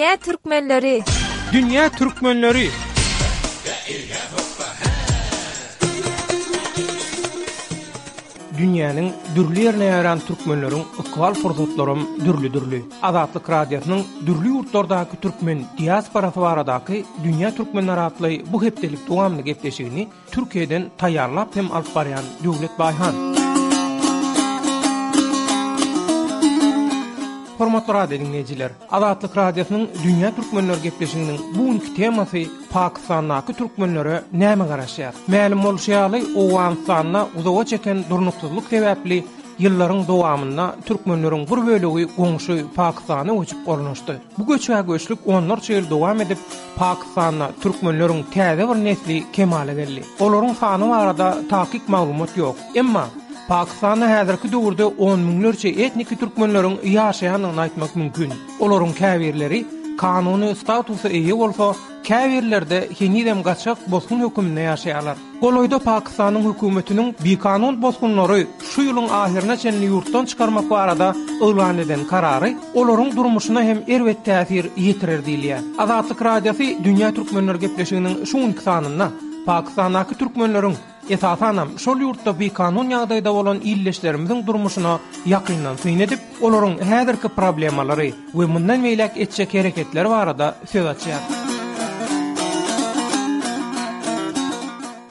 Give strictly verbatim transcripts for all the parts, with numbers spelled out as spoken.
Dünýä türkmenleri. Dünýä türkmenleri. Dünýäniň dürli ýerine ýaýran türkmenleriň ykbal pursatlaram dürli-dürli. Azatlyk Radiosynyň dürli ýurtlardaky türkmen diasporasy baradaky Dünýä türkmenleri atly bu hepdelik dowamly gepleşigini Türkiýeden taýýarlap hem alyp barýan Döwlet Baýhan. Hormatly radio dinleýjiler, Azatlyk Radiosynyň Dünýä Türkmenleri gepleşiginiň bu günki temasy Pakistandaky türkmenlere näme garaşýar? Mälim bolşy ýaly, Owganystanda uzaga çeken durnuksyzlyk sebäpli ýyllaryň dowamynda türkmenleriň bir bölegi goňşy Pakistana göçüp ornaşdy. Bu göçä göçlük onlarça ýyl dowam edip, Pakistanda türkmenleriň täze bir nesli kemala geldi. Olaryň sany barada takyk maglumat ýok. Emma Pakistanda häzirki döwürde on müňlerçe etniki türkmenleriň ýaşaýandygyny aýtmak mümkin. Olaryň käbirleri kanuny statusa eýe bolsa, käbirlerde henizem gaçak bosgun höküminde ýaşaýarlar. Golaýda Pakistanyň hökümetiniň bikanun bosgunlary şu ýylyň ahyryna çenli ýurtdan çykarmak barada yglan eden karary olaryň durmuşyna hem erbet täsir ýetirer diýilýär. Azatlyk Radiosy Dünýä Türkmenleri gepleşiginiň şu günki sanynda Pakistandaky türkmenleriň esasanam şol ýurtda bikanun ýagdaýda bolan illeşlerimiziň durmuşyna ýakyndan syn edip, olaryň häzirki problemalary we mundan beýläk etjek hereketleri barada söz açýar.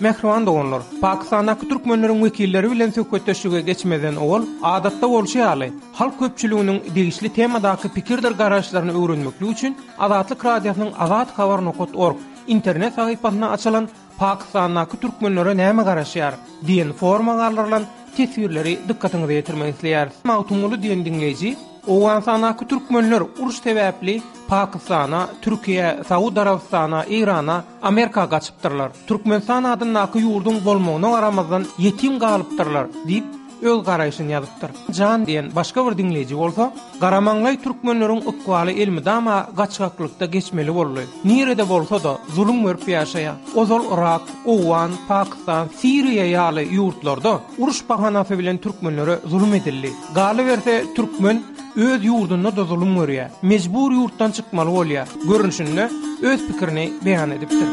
Mähriban doganlar, Pakistandaky türkmenleriň wekilleri bilen söhbetdeşlige geçmeden owal, adatda bolşy ýaly, halk köpçüliginiň degişli temadaky pikirdir garaýyşlaryny öwrenmeklik üçin Azatlyk Radiosynyň azat habar nokta org internet sahypasynda açylan Pakistandaky türkmenlere näme garaşýar diýen forma galdyrylan teswirleri dykgatyňyza ýetirmek isleýäris. Magtymguly diýen diňleýji, Owganystandaky türkmenler uruş sebäpli Pakistana, Türkiýe, Saud Arabystana, Eýrana, Amerika gaçypdyrlar. Türkmenistan adyndaky ýurduň bolmagyna garamazdan ýetim galypdyrlar diýip öz garaýşyny ýazypdyr. Jan diýen başga bir diňleýji bolsa, Garamanlaý türkmenleriň ykbaly elmydama gaçgaklykda geçmeli boldy. Nirede bolsa-da zulum görüp ýaşaýar. Ozal Irak, Owgan, Pakistan, Siriýa ýaly ýurtlarda uruş bahanasy bilen türkmenlere zulum edildi. Galyberse türkmen öz ýurdunda da zulum görýär. Mejbur ýurtdan çykmaly bolýar. Görünüşinde öz pikirini beýan edipdir.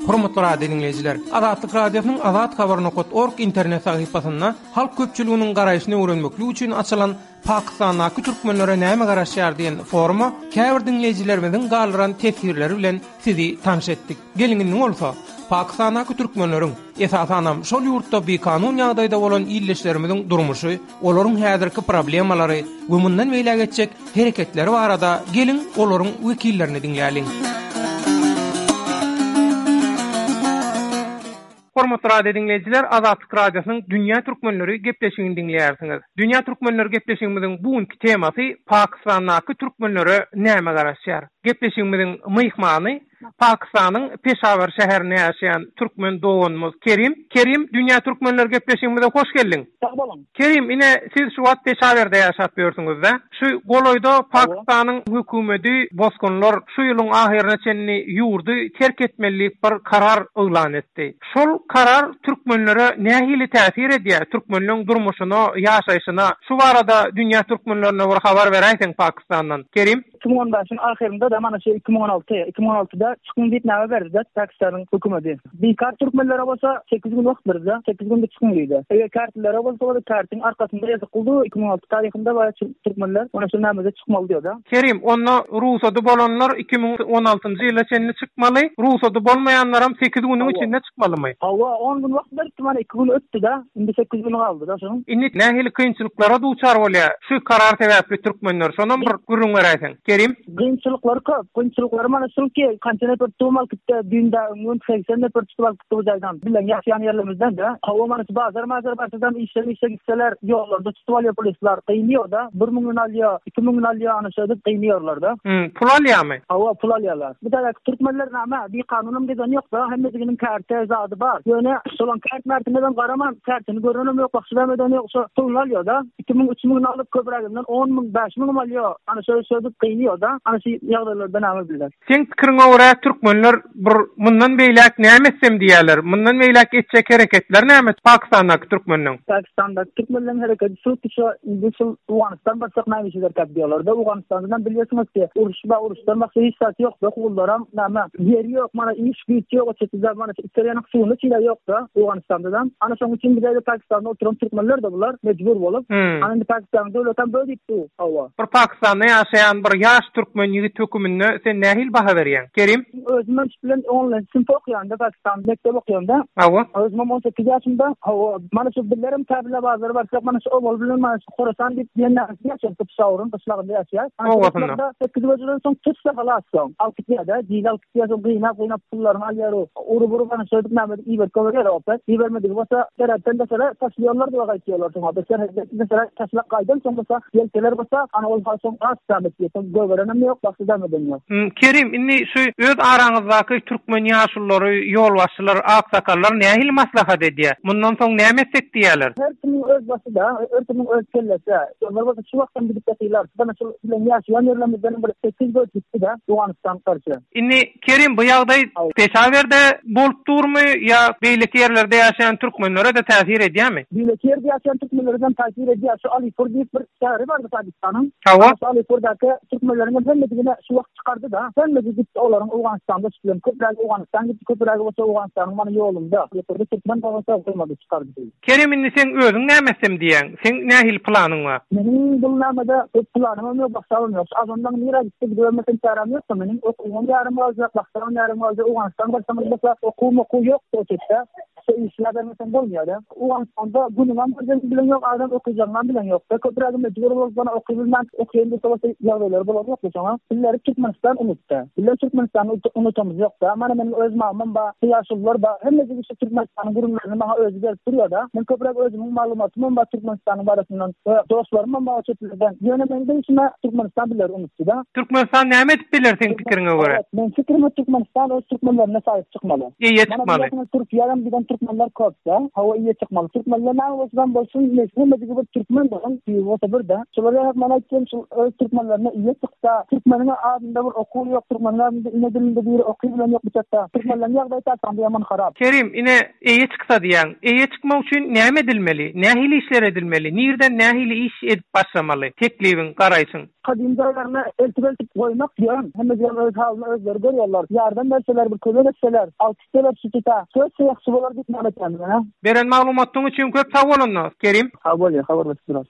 Hormatly radio dinleýjiler, Azatlyk Radiosynyň azat habar nokta org internet sahypasynda halk köpçüliginiň garaýşyny öwrenmeklik üçin açylan Pakistandaky türkmenlere näme garaşýar diýen foruma käbir dinleýjilerimiziň galdyran teswirleri bilen sizi tanyş etdik. Geliň indi bolsa Pakistandaky türkmenleriň esasanam şol ýurtda bikanun ýagdaýda bolan illeşlerimiziň durmuşy, olaryň häzirki problemalary we mundan beýläk etjek hereketleri barada geliň olaryň wekillerini diňläliň. Hormatly radio dinleýjiler, Azatlyk Radiosynyň Dünýä Türkmenleri gepleşigini diňleýärsiňiz. Dünýä Türkmenleri gepleşigimiziň bu günki temasy Pakistandaky türkmenlere näme garaşýar? Gepleşigimiziň myhmany Pakistanyň Peşawar şäherinde ýaşaýan türkmen doganymyz Kerim. Kerim, Dünýä Türkmenleri gepleşigimize hoş geldiň. Sag boluň. Kerim, ine siz şu wagt Peşawarda ýaşap ýörsüňiz-de. Şu golaýda Pakistanyň hökümeti bosgunlar şu ýylyň ahyryna çenli ýurdy terk etmeli diýip bir karar yglan etdi. Şol karar türkmenlere nähili täsir edýär? Türkmenleň durmuşyna, ýaşaýşyna. Şu barada Dünýä Türkmenlerine bir habar beräýseň Pakistandan. Kerim? iki müň on bäşiň ahyrynda da mana şu iki müň on alty, iki müň on altyda çykyň diýip näme berdi Pakistanyň hökümeti. Bikar türkmenlere bolsa sekiz gün wagt berdi, sekiz günde çykyň diýdi. Eger kartlere bolsa bolsa kartyň arkasynda ýazyp goýdy, iki müň on alty taryhynda baýa türkmenler ona şu nämede çykmaly diýdi. Kerim, onda rugsady bolanlar iki müň on altynjy ýyla çenli çykmaly, rugsady bolmaýanlaram sekiz günüň içinde çykmalymy? Hawa, on gün wagt berdi, mana iki gün ötdi da, indi sekiz gün galdy da şonuň. Indi nähili kynçylyklara duçar bolýar şu karar sebäpli türkmenler? Şonam bir gürrüň beräýseň. Kerim? Kynçylyklary köp. Kynçylyklary mana şul ki, kança nefer tutup alyp gitdi, düýnde öňün seksen nefer tutup alyp gitdi bu jaýdan. Bilen ýaşaýan ýerlerimizden de. Hawa, mana şu bazar mazar barsadan işler işe gitseler, ýollarda tutup alýar polisler. Gyýnýar da, bir müňün alýar, iki müňün alýar, ana şeýdip gyýnýarlar da. Hmm, pul alýarmy? Hawa, pul alýarlar. Bu taýda türkmenler näme, bir kanunam gezen ýok da, hemmesiniň karte zady bar. Ýöne şolan kart mertine garaman, kartyny görenem ýok, bakşylam eden ýok, şo puluny alýar da. Iki müň, üç müňün alyp köpräginden on müň, bäş müňüm alýar. Ana şeýdip gyýnýar da. Ana şu ýagdaýlardan näme bilýär. Seň pikiriňe görä görä türkmenler bir mundan beýläk näme etsem diýerler. Mundan beýläk etjek hereketler näme Pakistandaky türkmenleň? Pakistandaky türkmenleň hereketi şu şu indi şu Owganystan barsak näme işler kap diýerler. Owganistandan bilýärsiňiz ki, uruş ba uruşdan başga hiç zat ýok. Ogullaram näme ýeri ýok, mana iş güýç ýok, çetde mana içerýän suwuny çile ýok da Owganistandan. Ana şonuň üçin bize Pakistanda oturan türkmenler de bular mejbur bolup, Hmm. ana indi Pakistan döwletem böyle diýip hawa. Bir Pakistanda ýaşaýan bir ýaş türkmen ýigit höküminde sen nähili baha berýäň? Kerim? Özüm bilen onlaýn synp okýanda Pakistan mekdep okýanda Hawa. Özüm on sekiz ýaşymda, hawa, mana şu billerim tabla bazary barsak, mana şu obal bilen mana şu Horasan diýip diýen näme ýaşaýan Pişawuryn gyşlagynda ýaşaýar. Ana şu Obasynda. gyşlagda sekiz böjeden soň tutsa halas soň. Alty ýa-da diýil alty ýa soň gyýnap gyýnap pullaryny alýar o. Urup urup ana şöýdüp näme edip iberip goýberýär opet. Ibermedigi bolsa serhetden daşary taşlaýarlar diýip gaýtýarlar soň. Opet serhetden daşary taşlap gaýdan soň bolsa ýelkeler bolsa ana ol soň az zähmet diýip, soň goýberenem ýok, başga zähmet ýok. Hmm, Kerim, indi şu öz araňyzdaky türkmen ýaşululary, ýolbaşçylar, aksakallar nähili maslahat edýär? Mundan soň näme etsek diýerler? Her kimiň öz başy da, her kimiň öz kellesi. Onlar bolsa şu wagtdan gidip ýatyrlar. Bana şu bilen ýaşaýan ýerlerimizden bir sekiz göç gitdi da Owganystan garşy. Indi Kerim bu ýagdaý Peşawerде bolup durmy ýa beýleki ýerlerde ýaşaýan türkmenlere de täsir edýärmi? Beýleki ýerde ýaşaýan türkmenlerden täsir edýär. Şu Alipur diýip bir şäheri bardy Pakistanyň. Hawa. Şu Alipurdaky türkmenleriň hemmedigine şu wagt çykardy da. Hemmesi gitdi olaryň Owganystanda çykylan. Köprägi Owganistan gitdi, köprägi bolsa Owganystanyň mana ýolunda. Alipurda türkmen bolsa goýmady çykardy. Kerim indi sen özüň näme etsem diýen? Sen nähili planyň bar? Meniň bu namada köp planym ýok, başlamam ýok. Azondan nirä gitdi gidibermesem çärem ýok. Meniň okuwym ýarym galjak, başlamam ýarym galjak. Owganistan barsam bolsa okuwym okuw ýok o çetde. Şu işler bermesem bolmaýar. Owganistanda günüm bir bilen ýok, adam okuyacağım bilen ýok. Köprägi mejbur bolup bana okuy bilmän, okuýan bolsa bolsa ýagdaýlary bolan ýok şoňa. Bizleri Türkmenistan unutdy. Bizler Türkmenistany unutamyz ýok da. Mana meniň öz mamam ba, ýaşulular ba, hemmesi şu Türkmenistanyň gurumlaryny maňa özi berip durýar da. Men köpräk özümiň maglumatym ba Türkmenistanyň barasyndan we dostlarym ba çetlerden. Ýöne men de işime Türkmenistan bizleri unutdy da. Türkmenistan näme edip biler seň pikiriňe görä? Evet, men fikrime Türkmenistan öz türkmenlerine sahip çykmaly. Eýe Mana çykmaly. biliyorsunuz Türkiye'den giden türkmenler köp-de, hava iyi çıkmalı. Türkmenler ne olsun bolsun, nesli bir türkmen bolsun, diýip bolsa bir de. Şolar ýa mana aýtdym, şu öz türkmenlerine iyi çyksa, türkmeniň adynda bir okuw ýok, türkmenler ine dilinde bir okuw bilen ýok biçakda. Türkmenlerin ýagdaýy taýdan ýaman harap. Kerim, ine eýe çyksa diýen, eýe çykmak üçin näme edilmeli? Nähili işler edilmeli? Nirden nähili iş edip başlamaly? Teklibiň, garaýşyň. Kadim jaýlaryna eltip eltip goýmak diýen, hemme ýerler öz halyny özleri görýärler. Ýardam berseler, bir kömek etseler, altysteler şu söz ýagşy bolar diýip näme etýän, ha? Beren maglumatyň üçin köp sag bolun, Kerim. Ha bolýar, habar berip durar.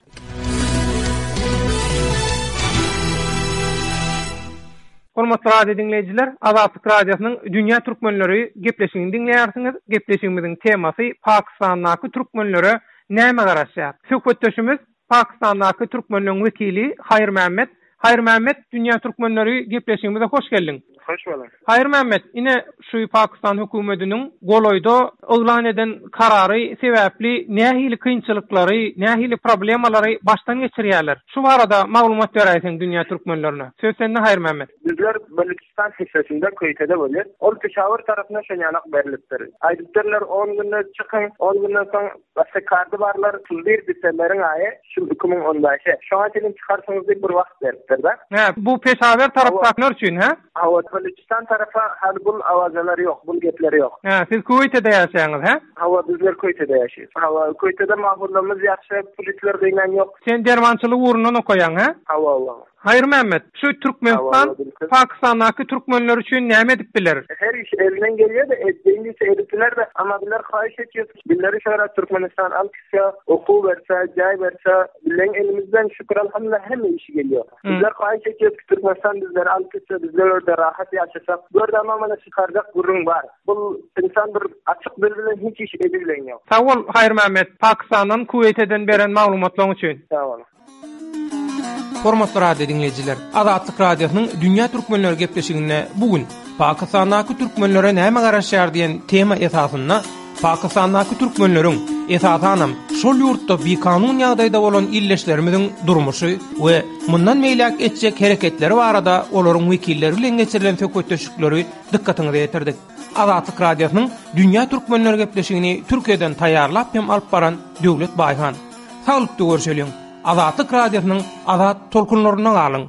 Hormatly radio dinleýjiler, Azatlyk Radiosynyň Dünýä Türkmenleri gepleşigini diňleýärsiňiz. Gepleşigimiziň temasy Pakistandaky türkmenlere näme garaşýar? Söhbetdeşimiz Pakistandaky türkmenleriň wekili Haýyr Mehmet. Haýyr Mehmet, Dünýä Türkmenleri gepleşigimize hoş geldiň. Hoş bulduk. Haýyr Mehmet, ine şu Pakistan hökümetiniň golaýda yglan eden karary sebäpli nähili kynçylyklary, nähili problemalary başdan geçirýärler? Şu barada maglumat beräýseň Dünýä Türkmenlerine. Söz sende Haýyr Mehmet. Bizler Balukistan hissesinde Köýtede bolýar. Ol Peşawar tarapyna şenýanak berilipdir. Aýdypdyrlar on günde çykyň, on günden soň başga kardy barlar, bir December'in aýy, şu iki müň on bäşe. Şoňa çenli çykarsyňyz diýip bir wagt beripdir da. Hä, bu Peşawar tarapdakylar üçin, hä? Hawa, Balukistan tarafa hali bul awazalar ýok, bul gepler ýok. Hä, siz Kuwaýtda ýaşaýaňyz, hä? Hawa, bizler Kuwaýtda ýaşaýarys. Hawa, Kuwaýtda mahullamyz ýagşy, polisler gyýnan ýok. Sen dermançylyk ugrundan okaýaň, hä? Hawa, hawa. Haýyr Mehmet, şu Türkmenistan Hawa, hawa, Pakistandaky türkmenler üçin näme edip biler? Her iş elinden gelýär de, etdiğin işi edipdiler de, ama bizler haýyş etýär. Bizleri şöyle Türkmenistan alkysya, okuw berse, jaý berse, bizlerin elimizden şükür elhamdülillah hemme işi geliyor. Hmm. Bizler haýyş etýär ki Türkmenistan bizleri alkysya, bizler orada rahat ýaşasak. Bu arada ama mana çykarjak gürrüň bar. Bu insan bir açyk dil bilen hiç iş edibilen ýok. Sag bol Haýyr Mehmet, Pakistandan Kuwaýtdan beren maglumatlaryň üçin. Sag bol. Hormatly radio dinleýjiler, Azatlyk Radiosynyň Dünýä Türkmenleri gepleşiginde bugün Pakistandaky türkmenlere näme garaşýar diýen tema esasynda Pakistandaky türkmenleriň esasanam şol ýurtda bikanun ýagdaýda bolan illeşlerimiziň durmuşy we mundan meýläk etjek hereketleri barada olaryň wekilleri bilen geçirilen söhbetdeşlikleri dykgatyňyza ýetirdik. Azatlyk Radiosynyň Dünýä Türkmenleri gepleşigini Türkiýeden taýýarlap hem alyp baran Döwlet Baýhan. Saglykda görüşeliň. Azatlyk Radiosynyň azat tolkunlaryna galyň.